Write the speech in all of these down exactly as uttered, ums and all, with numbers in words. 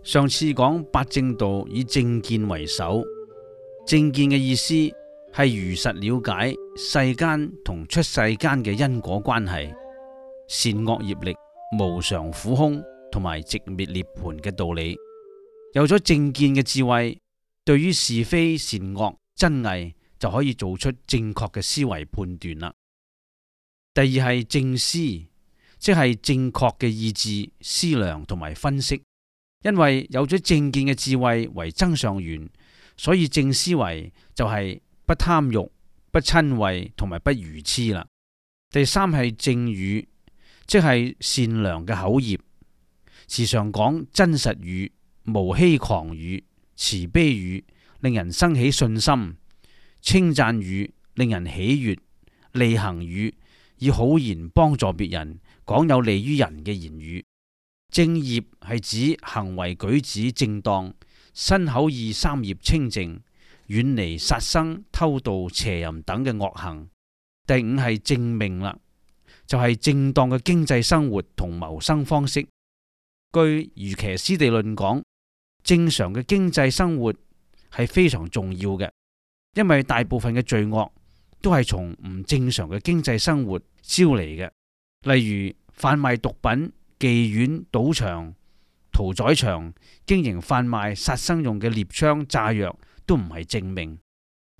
上次講八正道以正見為首，正見嘅意思係如實了解世間同出世間嘅因果關係、善惡業力、無常苦空同埋寂滅涅槃嘅道理。有咗正見嘅智慧，對於是非善惡真偽就可以做出正確嘅思維判斷啦。第二係正思，即係正確嘅意志、思量同埋分析。因為有咗正見嘅智慧為增上緣，所以正思維就係不貪欲、不瞋恚同埋不愚癡啦。第三係正語，即係善良嘅口業，時常講真實語、無欺誑語、慈悲語，令人生起信心；稱讚語，令人喜悅；利行語，以好言幫助別人，講有利於人嘅言語。正業係指行為舉止正當，身口意三業清淨，遠離殺生、偷盜、邪淫等嘅惡行。第五係正命啦，就係、是、正當嘅經濟生活同謀生方式。據瑜伽師地論講，正常嘅經濟生活係非常重要嘅，因為大部分嘅罪惡都係從唔正常嘅經濟生活招嚟嘅，例如販賣毒品、妓院、賭場、屠宰場，經營販賣殺生用嘅獵槍、炸藥，都唔係正命。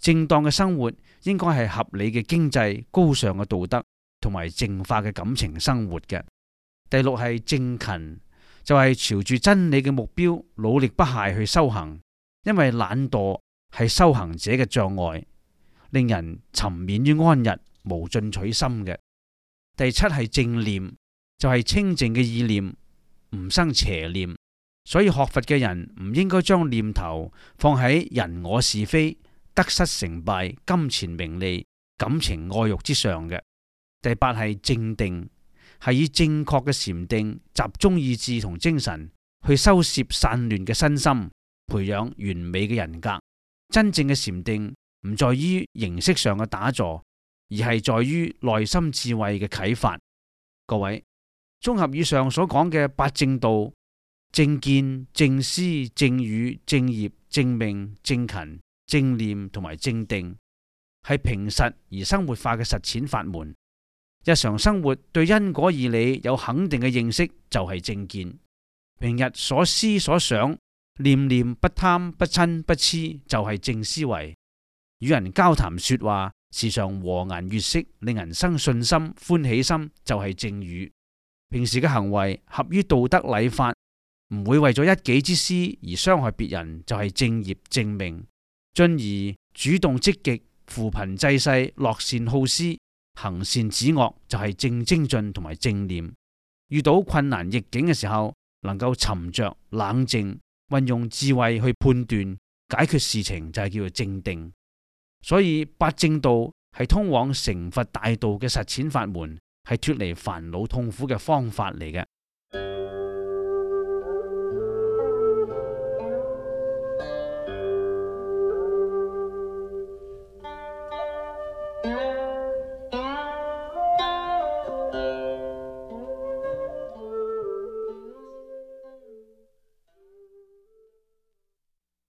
正當嘅生活應該係合理嘅經濟、高尚嘅道德同埋淨化嘅感情生活嘅。第六係正勤，就係、是、朝住真理嘅目標努力不懈去修行，因為懶惰係修行者嘅障礙，令人沉湎於安逸，無進取心嘅。第七係正念，就係清淨嘅意念，唔生邪念，所以學佛嘅人唔應該將念頭放喺人我是非、得失成敗、金錢名利、感情愛欲之上嘅。第八係正定，係以正確嘅禪定集中意志同精神去收攝散亂嘅身心，培養完美嘅人格。真正嘅禪定唔在於形式上嘅打坐，而係在於內心智慧嘅啟發。各位，綜合以上所講嘅八正道：正見、正思、正語、正業、正命、正勤、正念同埋正定，係平實而生活化嘅實踐法門。日常生活對因果義理有肯定嘅認識就係正見。平日所思所想，念念不貪不嗔不癡就係正思維。與人交談說話時常和顏悅色，令人生信心歡喜心就係正語。平時嘅行為合於道德禮法，唔會為咗一己之私而傷害別人，就係正業正命。進而主動積極扶貧濟世，樂善好施，行善止惡就係正精進同埋正念。遇到困難逆境嘅時候，能夠沉着冷靜，運用智慧去判斷解決事情，就係叫做正定。所以八正道係通往成佛大道嘅實踐法門，係脫離煩惱痛苦嘅方法嚟嘅。